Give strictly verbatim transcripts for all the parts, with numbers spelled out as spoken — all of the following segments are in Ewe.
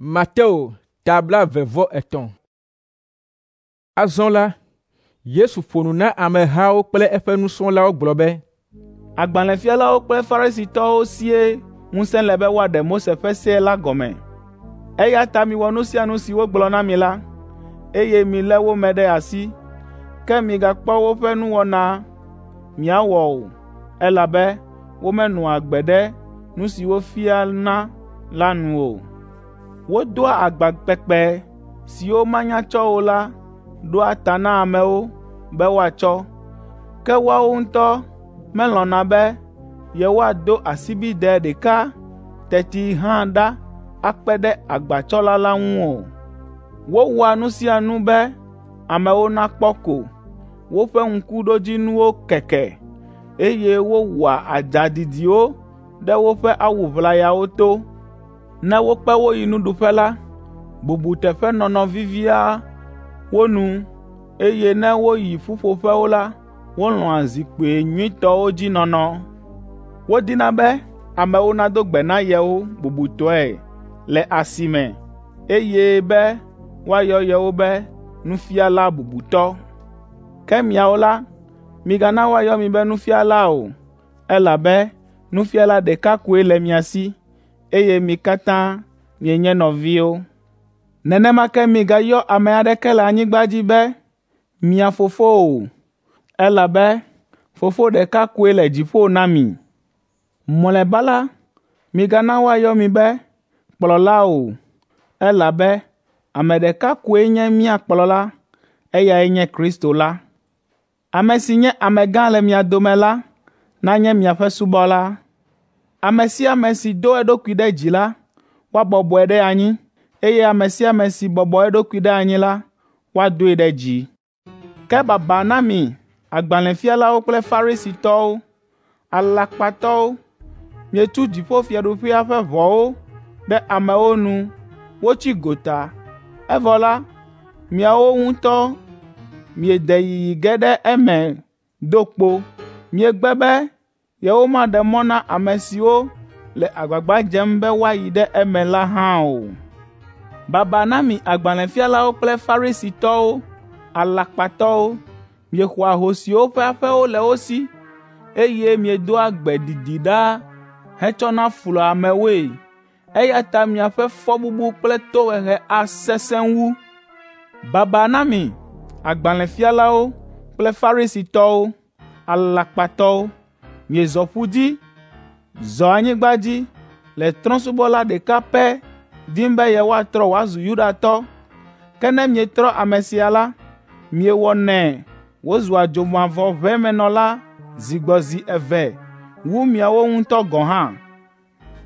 Mateo ta blaeve vɔ etɔ̃. Azɔ la, Yesu ƒo nu na amehawo kple eƒe nusrɔ̃lawo gblɔ be, Agbalẽfialawo kple Farisitɔwo sie ŋusẽ le be woaɖe Mose ƒe se la gɔme. Eya ta miwɔ nu sia nu si wogblɔ na mi la, eye milé wo me ɖe asi. Ke migakpɔ woƒe nuwɔna miawɔ o, elabe womenɔa agbe ɖe nu si wofiana la nu o. Wodoa agba kpekpe siwo manya tsɔ o la ɖoa ta na amewo be woatsɔ, ke woawo ŋutɔ melɔ̃na be yewoado asibidɛ ɖeka teti hã ɖa akpe ɖe agbatsɔla la ŋu o. Wowɔa nu sia nu be amewo nakpɔ ko. Woƒe ŋkuɖodzinuwo keke, eye wowɔa adza didiwo ɖe woƒe awu ʋlayawo to. Ne wokpe wo yi nuɖuƒe la, bubuteƒenɔnɔ vivia wo nu, eye ne woyi ƒuƒoƒewo la, wolɔ̃a zikpui nyuitɔwo dzi nɔnɔ. Wodina be amewo nado gbe na yewo bubutɔe le asi me, eye be woayɔ yewo be nufiala bubutɔ. Ke miawo la, migana woayɔ mi be nufiala o, elabe nufiala ɖeka koe le mia si, eye mi katã mienye nɔviwo. Nenema ke migayɔ ame aɖeke le anyigba dzi be mia fofo o, elabe Fofo ɖeka koe le dziƒo na mi. Mlɔeba la, migana woayɔ mi be kplɔla o, elabe ame ɖeka koe nye mía kplɔla, eyae nye Kristo la. Ame si nye amegã le mia dome la nanye miaƒe subɔla. Ame sia ame si do eɖokui ɖe dzi la, woabɔbɔe ɖe anyi, eye ame sia ame si bɔbɔ eɖokui ɖe anyi la, woadoe ɖe dzi. Ke baba na mi agbalẽfialawo kple Farisitɔwo, alakpatɔwo! Mietu dziƒofiaɖuƒea ƒe ʋɔwo ɖe amewo nu wotsi gota, evɔ la, miawo ŋutɔ miede yiyi ge ɖe eme do kpo. Miegbe be yewomaɖe mɔ na ame siwo le agbagba dzem be woayi ɖe eme la hã o. Baba na mi agbalẽfialawo kple Farisitɔwo, alakpatɔwo! Miexɔa ahosiwo ƒe aƒewo le wo si, eye miedoa gbe didi ɖaa hetsɔna flua amewoe. Eya ta miaƒe fɔbubu kple tohehe asesẽ wu. Baba na mi agbalẽfialawo kple Farisitɔwo, alakpatɔwo! Miezɔ ƒu dzi, zɔ anyigba dzi le trɔ̃subɔla ɖeka pɛ dim be yewoatrɔ wòazu Yudatɔ. Ke ne mietrɔ ame sia la, miewɔnɛ wòzua dzomavɔʋemenɔla zi gbɔ zi eve wu miawo ŋutɔ gɔ̃ hã.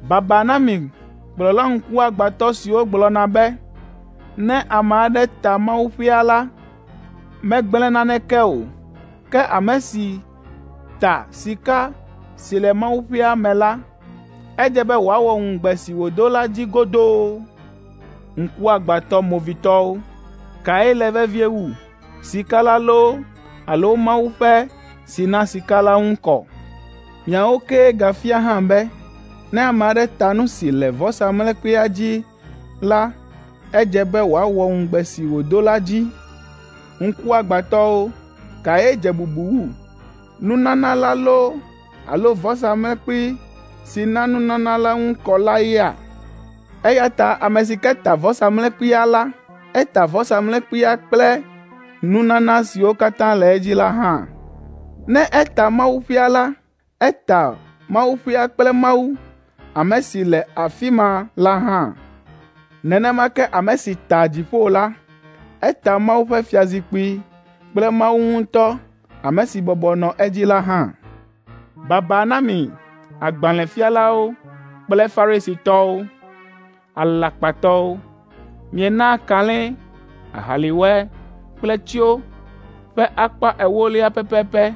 Baba na mi kplɔla ŋkuagbãtɔ siwo gblɔna be, “Ne ame aɖe ta mawuƒea la, megblẽ naneke o, ke ame si ta sika si le mawuƒea me la, edze be wòawɔ ŋugbe si wòdo la dzi godoo.” Ŋkuagbãtɔ movitɔwo! Kae le vevie wu, sika la loo alo mawuƒe si na sika la ŋu kɔ? Miawo kee gafia hã be, ne ame aɖe ta nu si le vɔsamlekpuia dzi la, edze be wòawɔ ŋugbe si wòdo la dzi. Ŋkuagbãtɔwo! Kae dze bubu wu, nunana la loo alo vɔsamlekpui si na nunana la ŋu kɔ la yea? Eya ta ame si ke ta vɔsamlekpuia la, eta vɔsamlekpuia kple nunana siwo katã le edzi la hã. Ne eta mawuƒea la, eta mawuƒea kple Mawu, ame si le afi ma la hã. Nenema ke ame si ta dziƒo la, eta Mawu ƒe fiazikpui kple Mawu ŋutɔ, ame si bɔbɔ nɔ edzi la hã. Baba na mi agbalẽfialawo kple Farisitɔwo, alakpatɔwo! Mienaa kalẽ, ahaliwɛ kple tsyo ƒe akpa ewolia pɛpɛpɛ,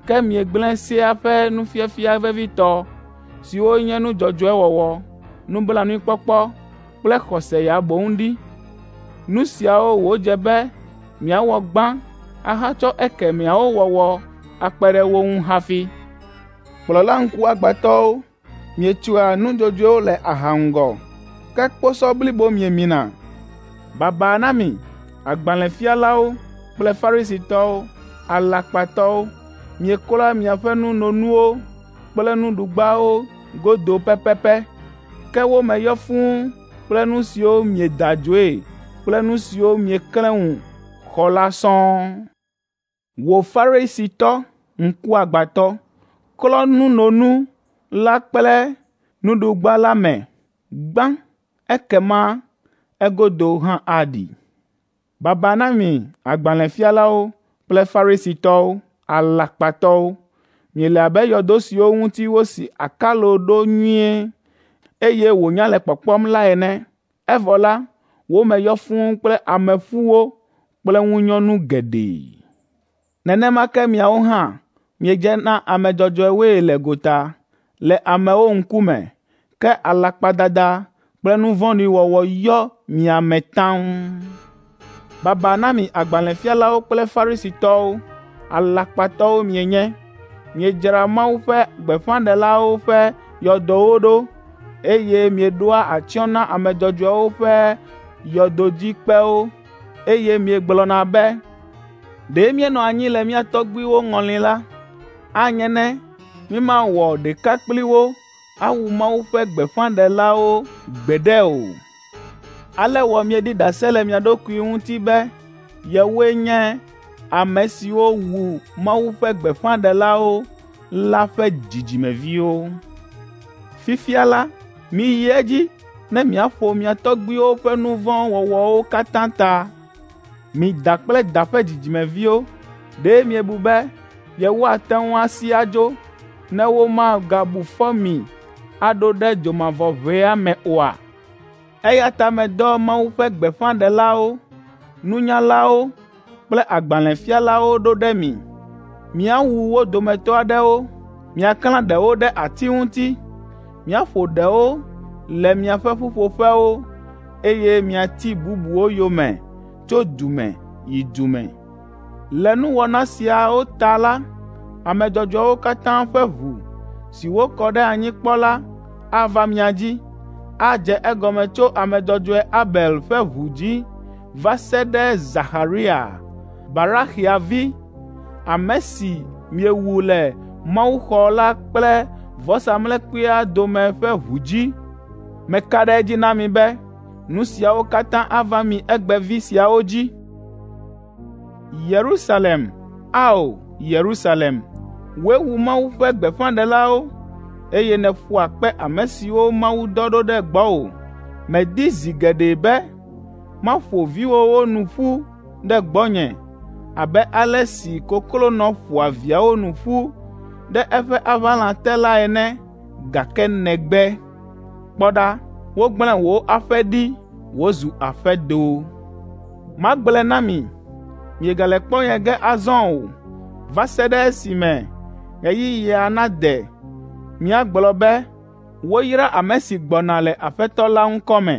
ke miegblẽ sea ƒe nufiafia vevitɔ siwo nye nu dzɔdzɔe wɔwɔ, nublanuikpɔkpɔ kple xɔse ya boŋ ɖi. Nu siawo wòdze be miawɔ gbã ahatsɔ ekemɛawo wɔwɔ akpe ɖe wo ŋu hafi. Kplɔla ŋkuagbãtɔwo, mietsoa nudzodzoewo le aha ŋgɔ, Ke kposɔ blibo miemina. Baba na mi, agbalẽfialawo kple Farisitɔwo, alakpatɔwo! Mieklɔa miaƒe nunonuwo kple nuɖugbawo godo pɛpɛpɛ, ke wo me yɔ fũu kple nu siwo mieda adzoe kple nu siwo mieklẽ ŋu xɔ la sɔŋ. Wò Farisitɔ ŋkuagbãtɔ, klɔ nunonu la kple nuɖugba la me gbã ekema egodo hã aɖi. Baba na mi agbalẽfialawo kple Farisitɔwo, alakpatɔwo! Miele abe yɔdo siwo ŋuti wosi akalo ɖo nyuie, eye wònya le kpɔkpɔm la ene, evɔ la, wo me yɔ fũu kple ameƒuwo kple ŋunyɔnu geɖe. Nenema ke miawo hã miedze na ame dzɔdzɔewoe le gota le amewo ŋkume, ke alakpadada kple nu vɔ̃ɖi wɔwɔ yɔ mia me taŋ. Baba na mi agbalẽfialawo kple Farisitɔwo, alakpatɔwo mienye! Miedzra Mawu ƒe gbeƒãɖelawo ƒe yɔdowo ɖo, eye mieɖoa atsyɔ̃ na ame dzɔdzɔewo ƒe yɔdodzikpewo, eye miegblɔna be, ‘Ɖe míenɔ anyi le mía tɔgbuiwo ŋɔli la, anye ne mímawɔ ɖeka kpli wo awu Mawu ƒe gbeƒãɖelawo gbeɖe o.’ Ale wɔ mieɖi ɖase le mia ɖokui ŋuti be yewoe nye ame siwo wu Mawu ƒe gbeƒãɖelawo la ƒe dzidzimeviwo. Fifia la, miyi edzi ne miaƒo mia tɔgbuiwo ƒe nu vɔ̃ wɔwɔwo katã ta. Mi da kple da ƒe dzidzimeviwo, ɖe miebu be yewoate ŋu asi adzo ne womagabu fɔ mi aɖo ɖe dzomavɔʋea me oa? Eya ta medɔ Mawu ƒe gbeƒãɖelawo, nunyalawo kple agbalẽfialawo ɖo ɖe mi. Miawu wo dometɔ aɖewo, miaklã ɖewo ɖe ati ŋuti, miaƒo ɖewo le miaƒe ƒuƒoƒewo, eye miati bubuwo yome tso du me yi du me. Le nuwɔna siawo ta la, ame dzɔdzɔewo katã ƒe ʋu si wokɔ ɖe anyi kpɔ la ava mia dzi, adze egɔme tso ame dzɔdzɔe Abel ƒe ʋu dzi va se ɖe Zaxaria, Baraxia vi, ame si miewu le mawuxɔ la kple vɔsamlekpuia dome ƒe ʋu dzi. Meka ɖe edzi na mi be nu siawo katã ava mi egbevi siawo dzi. Yerusalem, ao Yerusalem, wòe wu Mawu ƒe gbeƒãɖelawo, eye nèƒoa kpe ame siwo Mawu dɔ ɖo ɖe gbɔwò. Medi zi geɖe be maƒo viwòwo nu ƒu ɖe gbɔnye abe ale si koklonɔ ƒoa viawo nu ƒu ɖe eƒe aʋalã te la ene, gake nègbe. Kpɔ ɖa, wogblẽ wò aƒe ɖi wòzu aƒedo. Magblɔe na mi, miegale kpɔ nye ge azɔ o, va se ɖe esime ɣeyiɣia nade miagblɔ be, ‘Woyra ame si gbɔna le Aƒetɔ la ŋkɔ me.’ ”